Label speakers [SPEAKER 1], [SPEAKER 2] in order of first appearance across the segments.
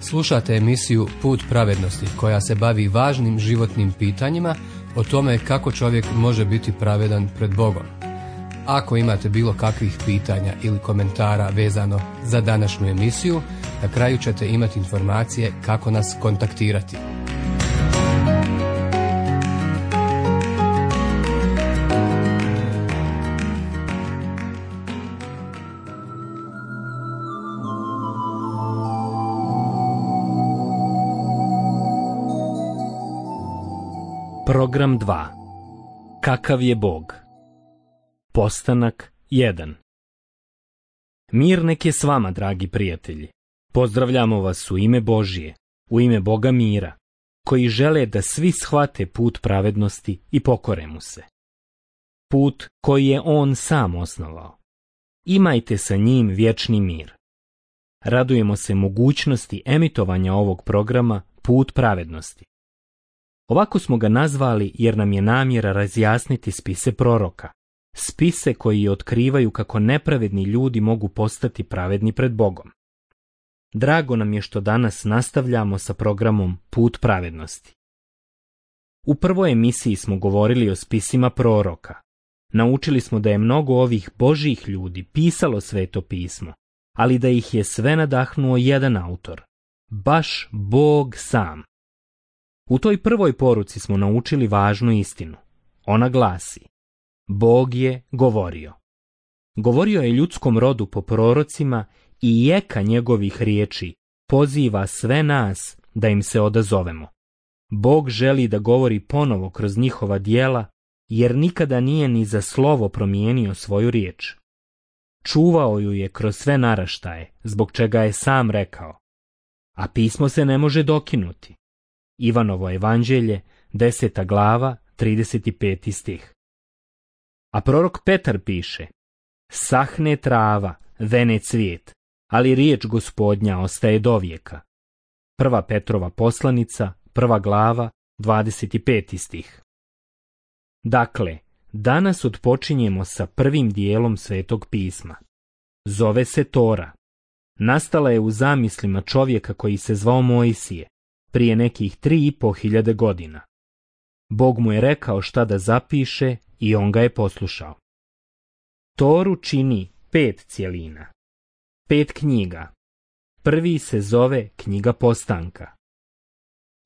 [SPEAKER 1] Slušate emisiju Put pravednosti koja se bavi važnim životnim pitanjima o tome kako čovjek može biti pravedan pred Bogom. Ako imate bilo kakvih pitanja ili komentara vezano za današnju emisiju, na kraju ćete imati informacije kako nas kontaktirati.
[SPEAKER 2] Program 2. Kakav je Bog? Postanak 1. Mir nek je s vama, dragi prijatelji. Pozdravljamo vas u ime Božije, u ime Boga mira, koji žele da svi shvate put pravednosti i pokore mu se. Put koji je on sam osnovao. Imajte sa njim vječni mir. Radujemo se mogućnosti emitovanja ovog programa Put pravednosti. Ovako smo ga nazvali jer nam je namjera razjasniti spise proroka, spise koji otkrivaju kako nepravedni ljudi mogu postati pravedni pred Bogom. Drago nam je što danas nastavljamo sa programom Put pravednosti. U prvoj emisiji smo govorili o spisima proroka. Naučili smo da je mnogo ovih Božjih ljudi pisalo Sveto pismo, ali da ih je sve nadahnuo jedan autor, baš Bog sam. U toj prvoj poruci smo naučili važnu istinu. Ona glasi: Bog je govorio. Govorio je ljudskom rodu po prorocima i jeka njegovih riječi poziva sve nas da im se odazovemo. Bog želi da govori ponovo kroz njihova djela, jer nikada nije ni za slovo promijenio svoju riječ. Čuvao ju je kroz sve naraštaje, zbog čega je sam rekao: a pismo se ne može dokinuti. Ivanovo evanđelje, 10. glava, 35. stih. A prorok Petar piše: sahne trava, vene cvijet, ali riječ Gospodnja ostaje dovijeka. 1. Petrova poslanica, 1. glava, 25. stih. Dakle, danas odpočinjemo sa prvim dijelom Svetog pisma. Zove se Tora. Nastala je u zamislima čovjeka koji se zvao Mojsije, prije nekih 3.500 godina. Bog mu je rekao šta da zapiše i on ga je poslušao. Toru čini 5 cjelina, 5 knjiga. Prvi se zove Knjiga Postanka.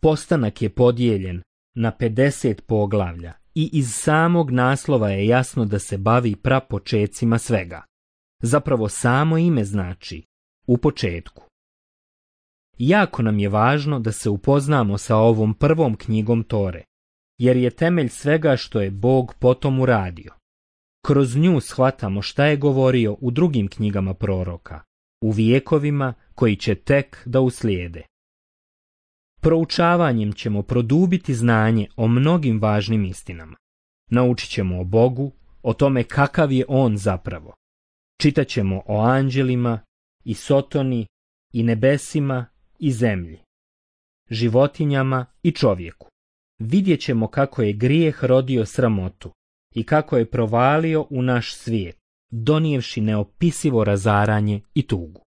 [SPEAKER 2] Postanak je podijeljen na 50 poglavlja i iz samog naslova je jasno da se bavi prapočecima svega. Zapravo samo ime znači u početku. Jako nam je važno da se upoznamo sa ovom prvom knjigom Tore, jer je temelj svega što je Bog potom uradio. Kroz nju shvatamo šta je govorio u drugim knjigama proroka, u vijekovima koji će tek da uslijede. Proučavanjem ćemo produbiti znanje o mnogim važnim istinama. Naučit ćemo o Bogu, o tome kakav je On zapravo. Čitat ćemo o anđelima i Sotoni i nebesima i zemlji, životinjama i čovjeku. Vidjet ćemo kako je grijeh rodio sramotu i kako je provalio u naš svijet, donijevši neopisivo razaranje i tugu.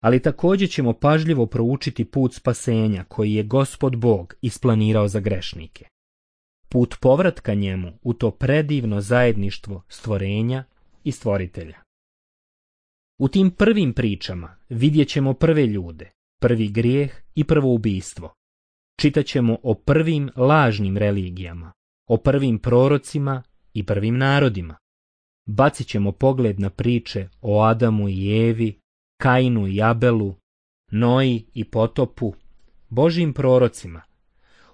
[SPEAKER 2] Ali također ćemo pažljivo proučiti put spasenja koji je Gospod Bog isplanirao za grešnike. Put povratka njemu u to predivno zajedništvo stvorenja i stvoritelja. U tim prvim pričama vidjet ćemo prve ljude, prvi grijeh i prvo ubijstvo. Čitat ćemo o prvim lažnim religijama, o prvim prorocima i prvim narodima. Bacit ćemo pogled na priče o Adamu i Evi, Kainu i Abelu, Noji i potopu, Božjim prorocima,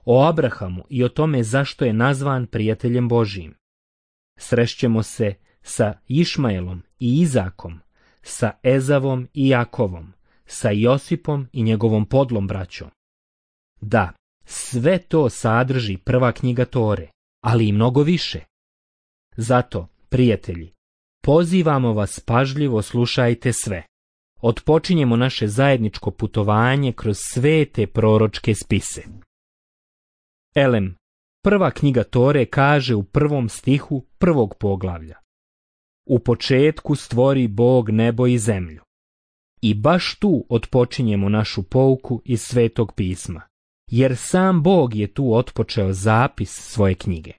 [SPEAKER 2] o Abrahamu i o tome zašto je nazvan prijateljem Božjim. Srešćemo se sa Išmaelom i Izakom, sa Ezavom i Jakovom, sa Josipom i njegovom podlom braćom. Da, sve to sadrži prva knjiga Tore, ali i mnogo više. Zato, prijatelji, pozivamo vas pažljivo slušajte sve. Otpočinjemo naše zajedničko putovanje kroz sve te proročke spise. Elem, prva knjiga Tore kaže u 1. stihu 1. poglavlja: U početku stvori Bog nebo i zemlju. I baš tu otpočinjemo našu pouku iz Svetog pisma, jer sam Bog je tu otpočeo zapis svoje knjige.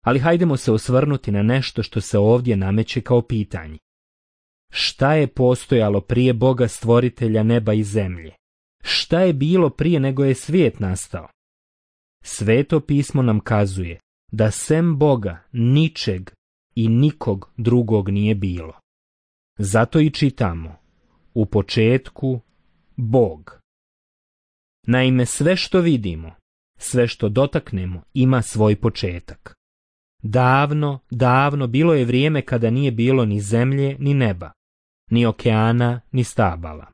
[SPEAKER 2] Ali hajdemo se osvrnuti na nešto što se ovdje nameće kao pitanje. Šta je postojalo prije Boga stvoritelja neba i zemlje? Šta je bilo prije nego je svijet nastao? Sveto pismo nam kazuje da sem Boga ničeg i nikog drugog nije bilo. Zato i čitamo: u početku Bog. Naime, sve što vidimo, sve što dotaknemo ima svoj početak. Davno, davno bilo je vrijeme kada nije bilo ni zemlje ni neba, ni okeana ni stabala.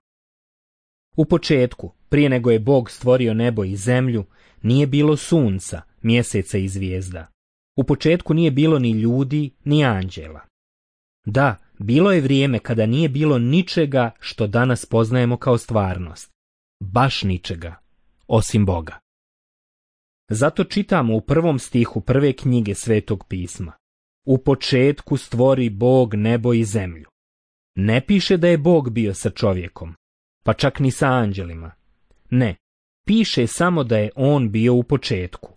[SPEAKER 2] U početku, prije nego je Bog stvorio nebo i zemlju, nije bilo sunca, mjeseca i zvijezda. U početku nije bilo ni ljudi, ni anđela. Da, bilo je vrijeme kada nije bilo ničega što danas poznajemo kao stvarnost. Baš ničega, osim Boga. Zato čitamo u 1. stihu 1. knjige Svetog pisma: u početku stvori Bog nebo i zemlju. Ne piše da je Bog bio sa čovjekom, pa čak ni sa anđelima. Ne, piše samo da je on bio u početku.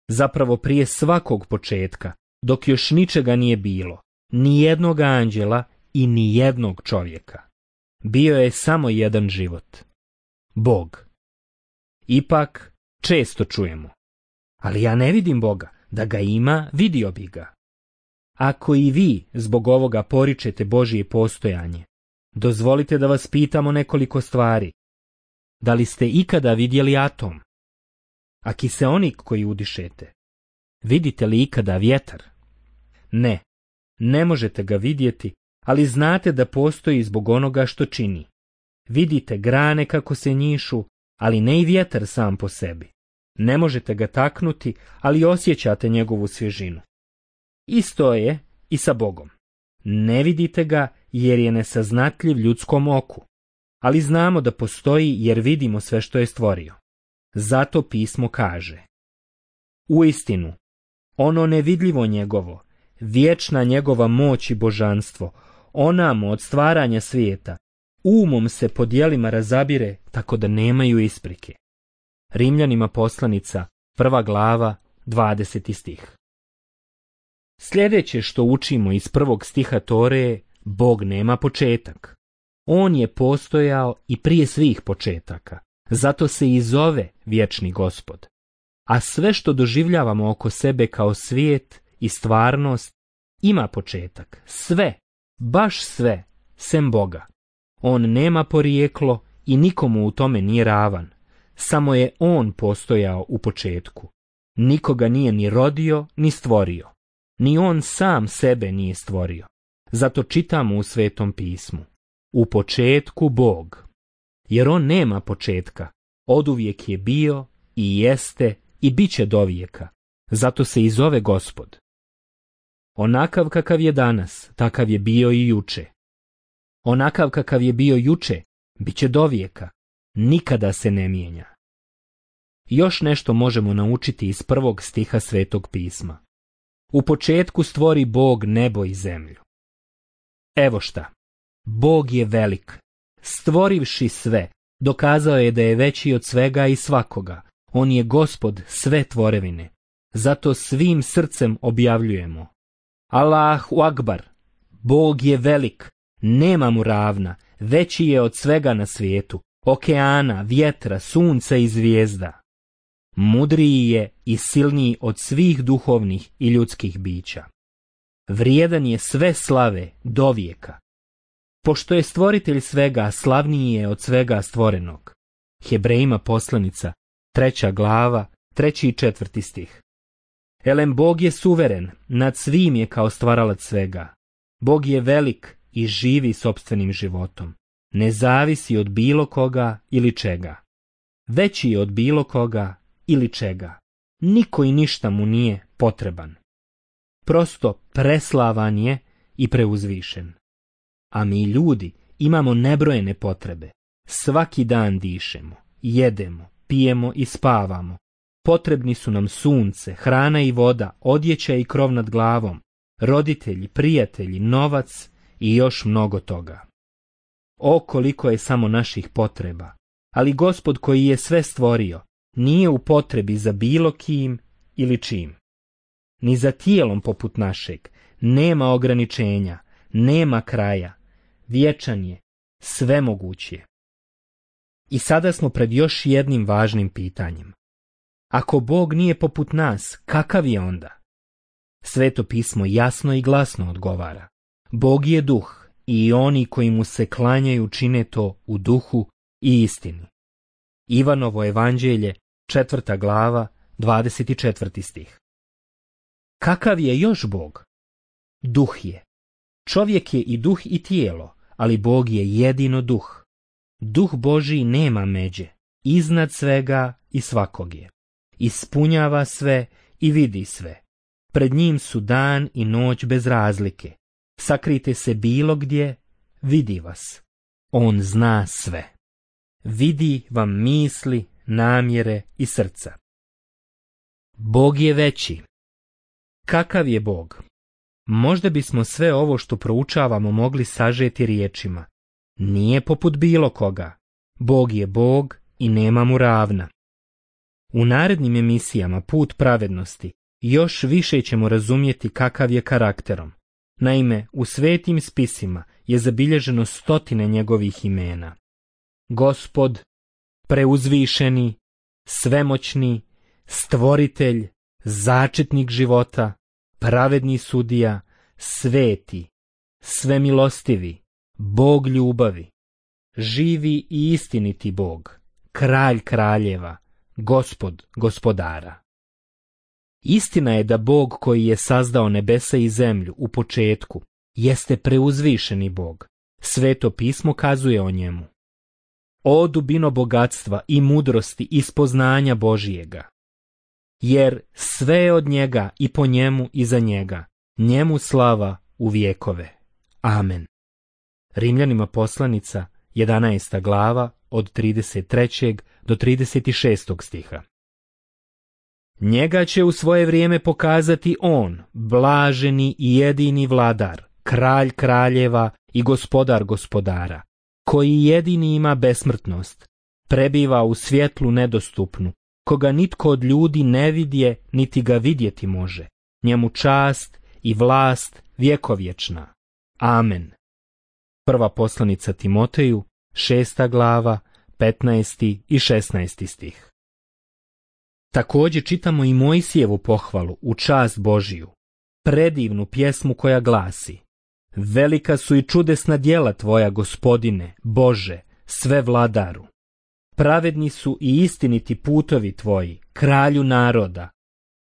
[SPEAKER 2] Zapravo prije svakog početka, dok još ničega nije bilo, ni jednog anđela i ni jednog čovjeka. Bio je samo jedan život. Bog. Ipak, često čujemo: ali ja ne vidim Boga, da ga ima, vidio bi ga. Ako i vi zbog ovoga poričete Božje postojanje, dozvolite da vas pitamo nekoliko stvari. Da li ste ikada vidjeli atom? A kiseonik koji udišete? Vidite li ikada vjetar? Ne, ne možete ga vidjeti, ali znate da postoji zbog onoga što čini. Vidite grane kako se njišu, ali ne i vjetar sam po sebi. Ne možete ga taknuti, ali osjećate njegovu svježinu. Isto je i sa Bogom. Ne vidite ga jer je nesaznatljiv ljudskom oku, ali znamo da postoji jer vidimo sve što je stvorio. Zato pismo kaže: uistinu, ono nevidljivo njegovo, vječna njegova moć i božanstvo, onamo od stvaranja svijeta, umom se po djelima razabire tako da nemaju isprike. Rimljanima poslanica, 1. glava, 20. stih. Sljedeće što učimo iz 1. stiha Tore je: Bog nema početak. On je postojao i prije svih početaka, zato se i zove vječni Gospod. A sve što doživljavamo oko sebe kao svijet i stvarnost ima početak. Sve, baš sve, sem Boga. On nema porijeklo i nikomu u tome nije ravan. Samo je on postojao u početku. Nikoga nije ni rodio, ni stvorio. Ni on sam sebe nije stvorio. Zato čitamo u Svetom pismu: u početku Bog. Jer on nema početka. Oduvijek je bio i jeste i bit će dovijeka. Zato se i zove Gospod. Onakav kakav je danas, takav je bio i juče. Onakav kakav je bio juče, bit će dovijeka. Nikada se ne mijenja. Još nešto možemo naučiti iz 1. stiha Svetog pisma: u početku stvori Bog nebo i zemlju. Evo šta, Bog je velik. Stvorivši sve, dokazao je da je veći od svega i svakoga. On je Gospod sve tvorevine. Zato svim srcem objavljujemo: Allahu Akbar, Bog je velik, nema mu ravna, veći je od svega na svijetu, okeana, vjetra, sunca i zvijezda. Mudriji je i silniji od svih duhovnih i ljudskih bića. Vrijedan je sve slave dovijeka. Pošto je stvoritelj svega, slavniji je od svega stvorenog. Hebrejima poslanica, 3. glava, 3. i 4. stih. Elem, Bog je suveren, nad svim je kao stvaralac svega. Bog je velik i živi sopstvenim životom. Ne zavisi od bilo koga ili čega. Veći je od bilo koga ili čega. Niko i ništa mu nije potreban. Prosto preslavan je i preuzvišen. A mi ljudi imamo nebrojene potrebe. Svaki dan dišemo, jedemo, pijemo i spavamo. Potrebni su nam sunce, hrana i voda, odjeća i krov nad glavom, roditelji, prijatelji, novac i još mnogo toga. O, koliko je samo naših potreba! Ali Gospod koji je sve stvorio, nije u potrebi za bilo kim ili čim. Ni za tijelom poput našeg, nema ograničenja, nema kraja, vječan je, svemoguć je. I sada smo pred još jednim važnim pitanjem. Ako Bog nije poput nas, kakav je onda? Sveto pismo jasno i glasno odgovara. Bog je duh i oni koji mu se klanjaju čine to u duhu i istini. Ivanovo evanđelje, 4. glava, 24. stih. Kakav je još Bog? Duh je. Čovjek je i duh i tijelo, ali Bog je jedino duh. Duh Božji nema međe, iznad svega i svakog je. Ispunjava sve i vidi sve. Pred njim su dan i noć bez razlike. Sakrite se bilo gdje, vidi vas. On zna sve. Vidi vam misli, namjere i srca. Bog je veći. Kakav je Bog? Možda bismo sve ovo što proučavamo mogli sažeti riječima. Nije poput bilo koga. Bog je Bog i nema mu ravna. U narednim emisijama Put pravednosti još više ćemo razumjeti kakav je karakterom. Naime, u svetim spisima je zabilježeno 100 njegovih imena. Gospod, preuzvišeni, svemoćni, stvoritelj, začetnik života, pravedni sudija, sveti, svemilostivi, Bog ljubavi, živi i istiniti Bog, kralj kraljeva, Gospod gospodara. Istina je da Bog koji je sazdao nebesa i zemlju u početku jeste preuzvišeni Bog. Sveto pismo kazuje o njemu. O dubino bogatstva i mudrosti i spoznanja Božijega. Jer sve je od njega i po njemu i za njega, njemu slava u vjekove. Amen. Rimljanima poslanica, 11. glava, od 33. do 36. stiha. Njega će u svoje vrijeme pokazati on, blaženi i jedini vladar, kralj kraljeva i gospodar gospodara, koji jedini ima besmrtnost, prebiva u svjetlu nedostupnu, koga nitko od ljudi ne vidje, niti ga vidjeti može. Njemu čast i vlast vjekovječna. Amen. Prva poslanica Timoteju, 6. glava, 15. i 16. stih. Također čitamo i Mojsijevu pohvalu u čast Božiju, predivnu pjesmu koja glasi: Velika su i čudesna djela tvoja, Gospodine, Bože, sve vladaru. Pravedni su i istiniti putovi tvoji, kralju naroda.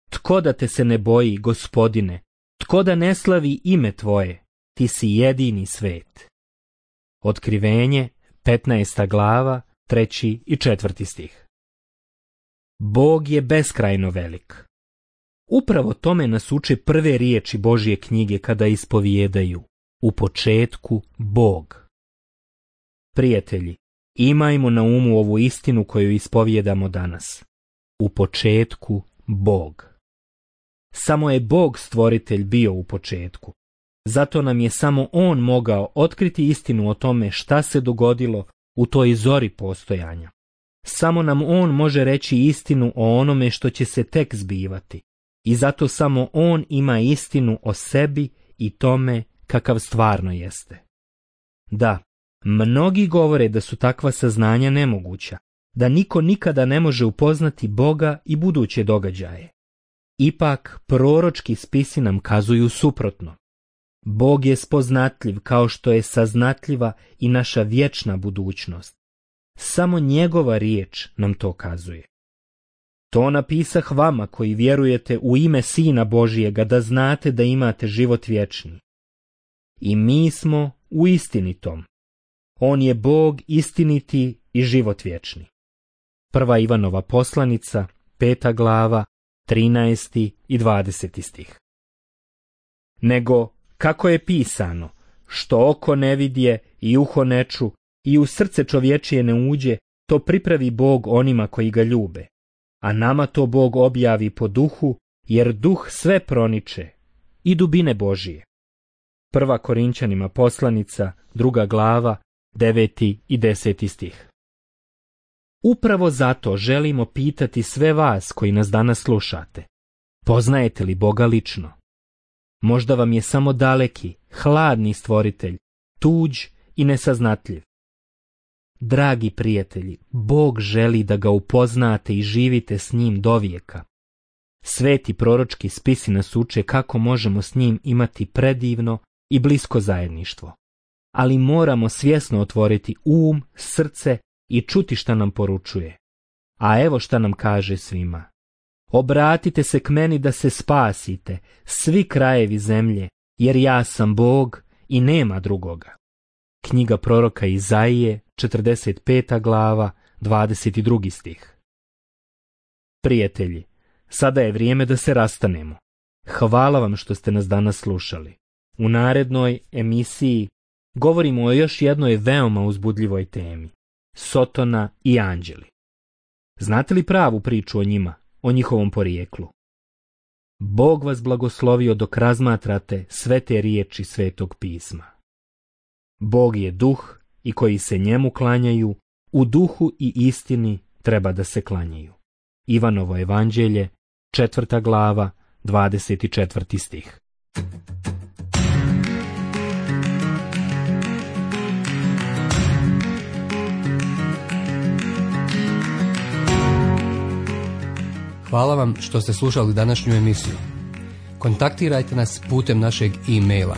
[SPEAKER 2] Tko da te se ne boji, Gospodine, tko da ne slavi ime tvoje, ti si jedini svet. Otkrivenje, 15. glava, 3. i 4. stih. Bog je beskrajno velik. Upravo tome nas uče prve riječi Božje knjige kada ispovijedaju: u početku Bog. Prijatelji, imajmo na umu ovu istinu koju ispovijedamo danas. U početku Bog. Samo je Bog stvoritelj bio u početku. Zato nam je samo On mogao otkriti istinu o tome šta se dogodilo u toj zori postojanja. Samo nam On može reći istinu o onome što će se tek zbivati. I zato samo On ima istinu o sebi i tome kakav stvarno jeste. Da, mnogi govore da su takva saznanja nemoguća, da niko nikada ne može upoznati Boga i buduće događaje. Ipak, proročki spisi nam kazuju suprotno. Bog je spoznatljiv kao što je saznatljiva i naša vječna budućnost. Samo njegova riječ nam to kazuje. To napisah vama koji vjerujete u ime Sina Božijega, da znate da imate život vječni. I mi smo u istinitom. On je Bog istiniti i život vječni. Prva Ivanova poslanica, 5. glava, 13. i 20. stih. Nego, kako je pisano, što oko ne vidje i uho ne ču i u srce čovječije ne uđe, to pripravi Bog onima koji ga ljube. A nama to Bog objavi po duhu, jer duh sve proniče i dubine Božije. Prva Korinćanima poslanica, 2. glava, 9. i 10. stih. Upravo zato želimo pitati sve vas koji nas danas slušate. Poznajete li Boga lično? Možda vam je samo daleki, hladni stvoritelj, tuđ i nesaznatljiv. Dragi prijatelji, Bog želi da ga upoznate i živite s njim dovijeka. Sveti proročki spisi nas uče kako možemo s njim imati predivno i blisko zajedništvo. Ali moramo svjesno otvoriti srce i čuti šta nam poručuje. A evo šta nam kaže svima. Obratite se k meni da se spasite, svi krajevi zemlje, jer ja sam Bog i nema drugoga. Knjiga proroka Izaije, 45. glava, 22. stih. Prijatelji, sada je vrijeme da se rastanemo. Hvala vam što ste nas danas slušali. U narednoj emisiji govorimo o još jednoj veoma uzbudljivoj temi. Sotona i anđeli. Znate li pravu priču o njima, o njihovom porijeklu? Bog vas blagoslovio dok razmatrate sve te riječi Svetog pisma. Bog je duh i koji se njemu klanjaju, u duhu i istini treba da se klanjaju. Ivanovo evanđelje, 4. glava, 24. stih.
[SPEAKER 1] Hvala vam što ste slušali današnju emisiju. Kontaktirajte nas putem našeg e-maila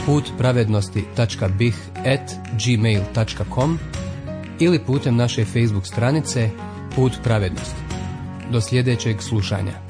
[SPEAKER 1] putpravednosti.bih@gmail.com ili putem naše Facebook stranice Put pravednosti. Do sljedećeg slušanja.